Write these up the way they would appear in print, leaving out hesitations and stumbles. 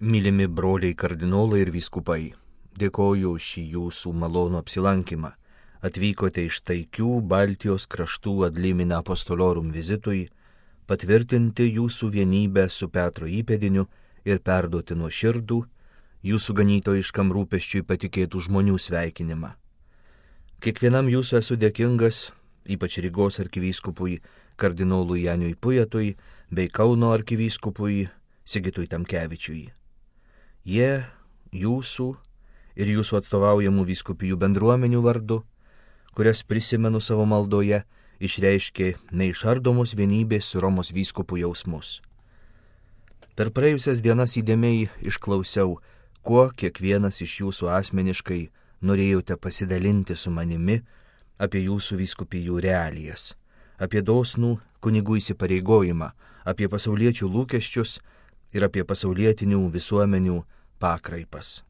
Mylimi broliai kardinolai ir vyskupai, dėkoju už šį jūsų malonų apsilankymą. Atvykote iš taikių Baltijos kraštų ad limina apostolorum vizitui, patvirtinti jūsų vienybę su Petro įpėdiniu ir perduoti nuoširdų jūsų ganytojiškam rūpesčiui patikėtų žmonių sveikinimą. Kiekvienam jūsų esu dėkingas, ypač Rygos arkivyskupui kardinolui Janiui Pujatui bei Kauno arkivyskupui Sigitui Tamkevičiui. Jie jūsų ir jūsų atstovaujamų vyskupijų bendruomenių vardu, kurias prisimenu savo maldoje, išreiškė neišardomos vienybės su Romos vyskupu jausmus. Per praėjusias dienas įdėmiai išklausiau, kuo kiekvienas iš jūsų asmeniškai norėjote pasidalinti su manimi apie jūsų vyskupijų realijas, apie dosnų kunigų įsipareigojimą, apie pasauliečių lūkesčius ir apie pasaulietinių visuomenių pakraipas.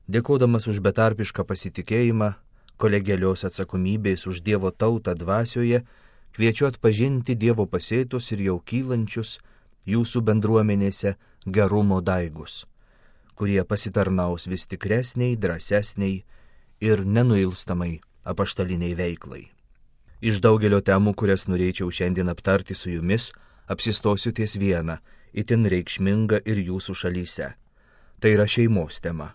Dėkodamas už betarpišką pasitikėjimą, kolegialios atsakomybės už Dievo tautą dvasioje, kviečiu atpažinti Dievo pasėtus ir jau kylančius jūsų bendruomenėse gerumo daigus, kurie pasitarnaus vis tikresniai, drąsesniai ir nenuilstamai apaštaliniai veiklai. Iš daugelio temų, kurias norėčiau šiandien aptarti su jumis, apsistosiu ties vieną, itin reikšminga ir jūsų šalyse. Tai yra šeimos tema.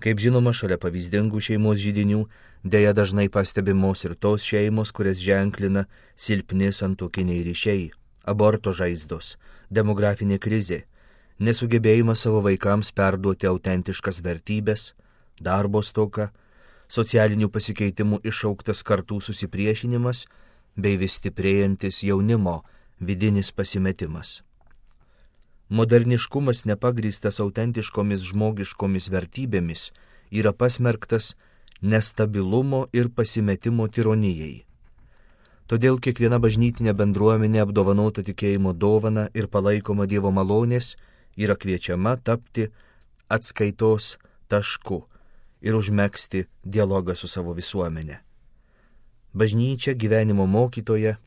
Kaip žinoma, šalia pavyzdingų šeimos židinių dėja dažnai pastebimos ir tos šeimos, kurias ženklina silpni santuokiniai ryšiai, aborto žaizdos, demografinė krizė, nesugebėjimas savo vaikams perduoti autentiškas vertybės, darbo stoka, socialinių pasikeitimų išauktas kartų susipriešinimas bei vis stiprėjantis jaunimo vidinis pasimetimas. Moderniškumas nepagrįstas autentiškomis žmogiškomis vertybėmis yra pasmerktas nestabilumo ir pasimetimo tironijai. Todėl kiekviena bažnytinė bendruomenė apdovanota tikėjimo dovana ir palaikoma Dievo malonės yra kviečiama tapti atskaitos tašku ir užmegzti dialogą su savo visuomenė. Bažnyčia gyvenimo mokytoja,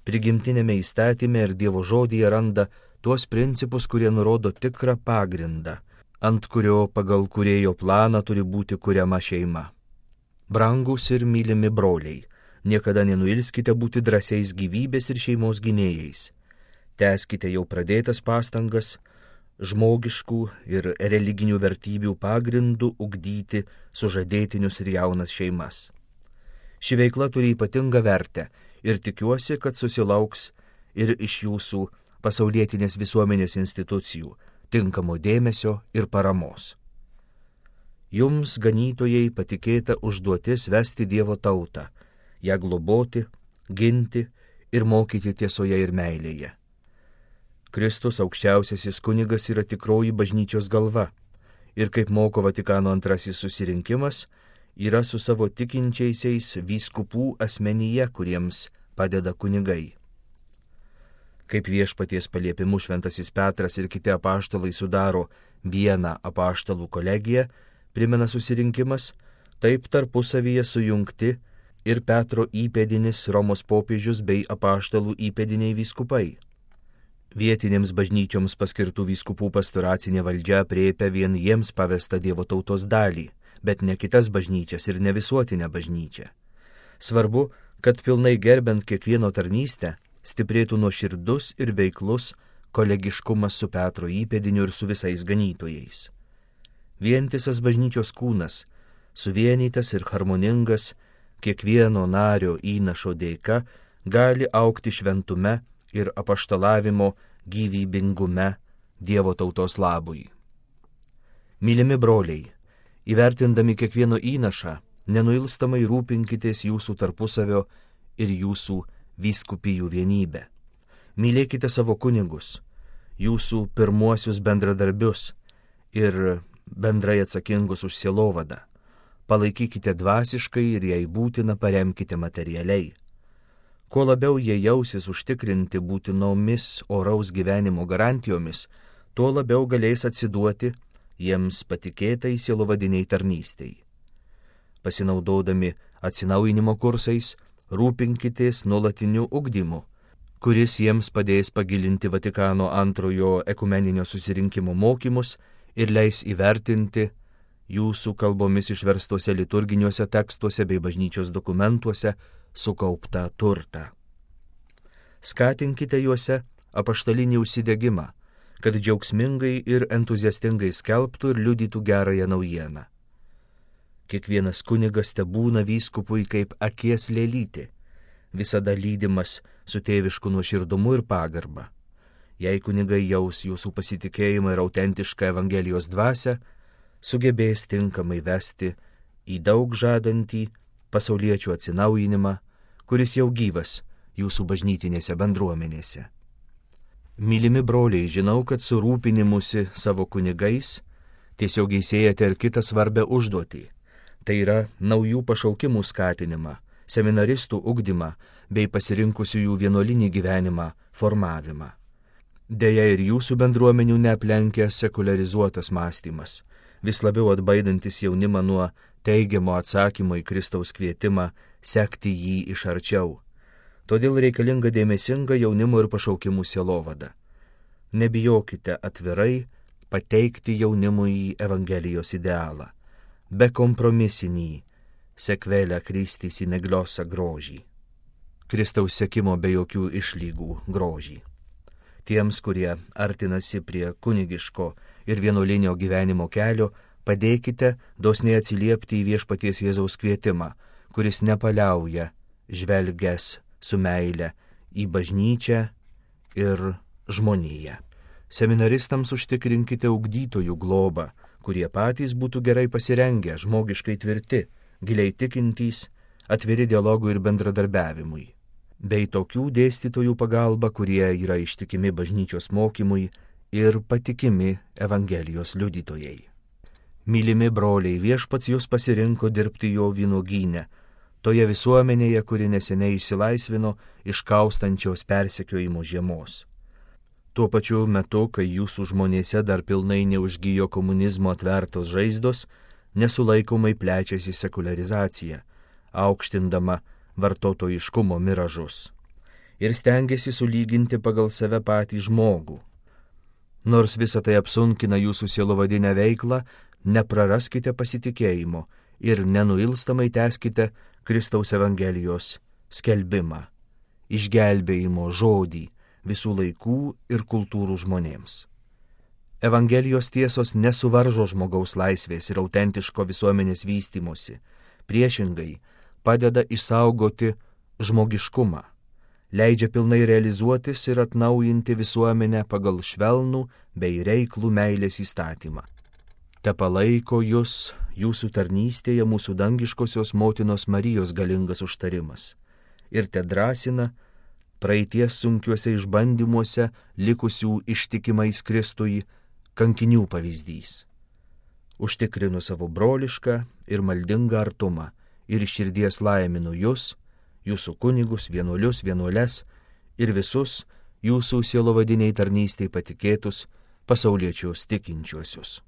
prigimtinėme įstatyme ir Dievo žodyje randa tuos principus, kurie nurodo tikrą pagrindą, ant kurio pagal kūrėjo planą turi būti kuriama šeima. Brangūs ir mylimi broliai, niekada nenuilskite būti drąsiais gyvybės ir šeimos gynėjais. Tęskite jau pradėtas pastangas, žmogiškų ir religinių vertybių pagrindų ugdyti sužadėtinius ir jaunas šeimas. Ši veikla turi ypatingą vertę ir tikiuosi, kad susilauks ir iš jūsų pasaulietinės visuomenės institucijų tinkamo dėmesio ir paramos. Jums, ganytojai, patikėta užduotis vesti Dievo tautą, ją globoti, ginti ir mokyti tiesoje ir meilėje. Kristus aukščiausiasis kunigas yra tikroji bažnyčios galva ir, kaip moko Vatikano antrasis susirinkimas, yra su savo tikinčiaisiais vyskupų asmenyje, kuriems padeda kunigai. Kaip viešpaties paliepimu šventasis Petras ir kiti apaštalai sudaro vieną apaštalų kolegiją, primena susirinkimas, taip tarpusavyje sujungti ir Petro įpėdinis Romos popiežius bei apaštalų įpėdiniai vyskupai. Vietinėms bažnyčioms paskirtų vyskupų pastoracinė valdžia aprėpia vien jiems pavestą Dievo tautos dalį, bet ne kitas bažnyčias ir ne visuotinę bažnyčią. Svarbu, kad pilnai gerbent kiekvieno tarnystę, stiprėtų nuoširdus ir veiklus kolegiškumas su Petro įpėdiniu ir su visais ganytojais. Vientisas bažnyčios kūnas, suvienytas ir harmoningas, kiekvieno nario įnašo dėka gali augti šventume ir apaštalavimo gyvybingume Dievo tautos labui. Mylimi broliai, įvertindami kiekvieno įnašą, nenuilstamai rūpinkitės jūsų tarpusavio ir jūsų vyskupijų vienybę. Mylėkite savo kunigus, jūsų pirmuosius bendradarbius ir bendrai atsakingus už sielovadą. Palaikykite dvasiškai ir jei būtina paremkite materialiai. Kuo labiau jie jausis užtikrinti būtinomis oraus gyvenimo garantijomis, tuo labiau galės atsiduoti jiems patikėtai sielovadiniai tarnystei. Pasinaudodami atsinaujinimo kursais, rūpinkitės nuolatiniu ugdymu, kuris jiems padės pagilinti Vatikano antrojo ekumeninio susirinkimo mokymus ir leis įvertinti jūsų kalbomis išverstuose liturginiuose tekstuose bei bažnyčios dokumentuose sukauptą turtą. Skatinkite juose apaštalinį užsidegimą, kad džiaugsmingai ir entuziastingai skelbtų ir liudytų gerąją naujieną. Kiekvienas kunigas tebūna vyskupui kaip akies lėlytė, visada lydimas su tėvišku nuoširdumu ir pagarba. Jei kunigai jaus jūsų pasitikėjimą ir autentišką Evangelijos dvasią, sugebės tinkamai vesti į daug žadantį pasauliečių atsinaujinimą, kuris jau gyvas jūsų bažnytinėse bendruomenėse. Mylimi broliai, žinau, kad su rūpinimusi savo kunigais tiesiogiai siejate ir kitą svarbę užduotį. Tai yra naujų pašaukimų skatinimą, seminaristų ugdymą bei pasirinkusiųjų vienuolinį gyvenimą formavimą. Deja, ir jūsų bendruomenių neaplenkia sekularizuotas mąstymas, vis labiau atbaidantis jaunimą nuo teigiamo atsakymo į Kristaus kvietimą sekti jį iš arčiau. Todėl reikalinga dėmesinga jaunimo ir pašaukimų sielovada. Nebijokite atvirai pateikti jaunimui Evangelijos idealą, bekompromisinį sekvelę Kristis į negliosą grožį, Kristaus sekimo be jokių išlygų grožį. Tiems, kurie artinasi prie kunigiško ir vienuolinio gyvenimo kelio, padėkite dosniai atsiliepti į Viešpaties Jėzaus kvietimą, kuris nepaliauja žvelgęs su meile į bažnyčią ir žmoniją. Seminaristams užtikrinkite ugdytojų globą, kurie patys būtų gerai pasirengę, žmogiškai tvirti, giliai tikintys, atviri dialogui ir bendradarbiavimui, bei tokių dėstytojų pagalba, kurie yra ištikimi bažnyčios mokymui ir patikimi Evangelijos liudytojai. Mylimi broliai, Viešpats jūs pasirinko dirbti jo vynuogyne, toje visuomenėje, kuri neseniai išsilaisvino iš kaustančios persekiojimo žiemos. Tuo pačiu metu, kai jūsų žmonėse dar pilnai neužgijo komunizmo atvertos žaizdos, nesulaikomai plečiasi sekularizacija, aukštindama vartotojiškumo miražus ir stengiasi sulyginti pagal save patį žmogų. Nors visą tai apsunkina jūsų sielovadinę veiklą, nepraraskite pasitikėjimo ir nenuilstamai tęskite Kristaus Evangelijos skelbimą, išgelbėjimo žodį visų laikų ir kultūrų žmonėms. Evangelijos tiesos nesuvaržo žmogaus laisvės ir autentiško visuomenės vystymosi, priešingai padeda išsaugoti žmogiškumą, leidžia pilnai realizuotis ir atnaujinti visuomenę pagal švelnų bei reiklų meilės įstatymą. Te palaiko jūs jūsų tarnystėje mūsų dangiškosios motinos Marijos galingas užtarimas ir te drąsina praeities sunkiuose išbandymuose likusių ištikimais Kristui kankinių pavyzdys. Užtikrinu savo brolišką ir maldingą artumą ir iš širdies laiminu jūs, jūsų kunigus, vienuolius, vienuoles ir visus jūsų sielovadiniai tarnystei patikėtus pasauliečius tikinčiuosius.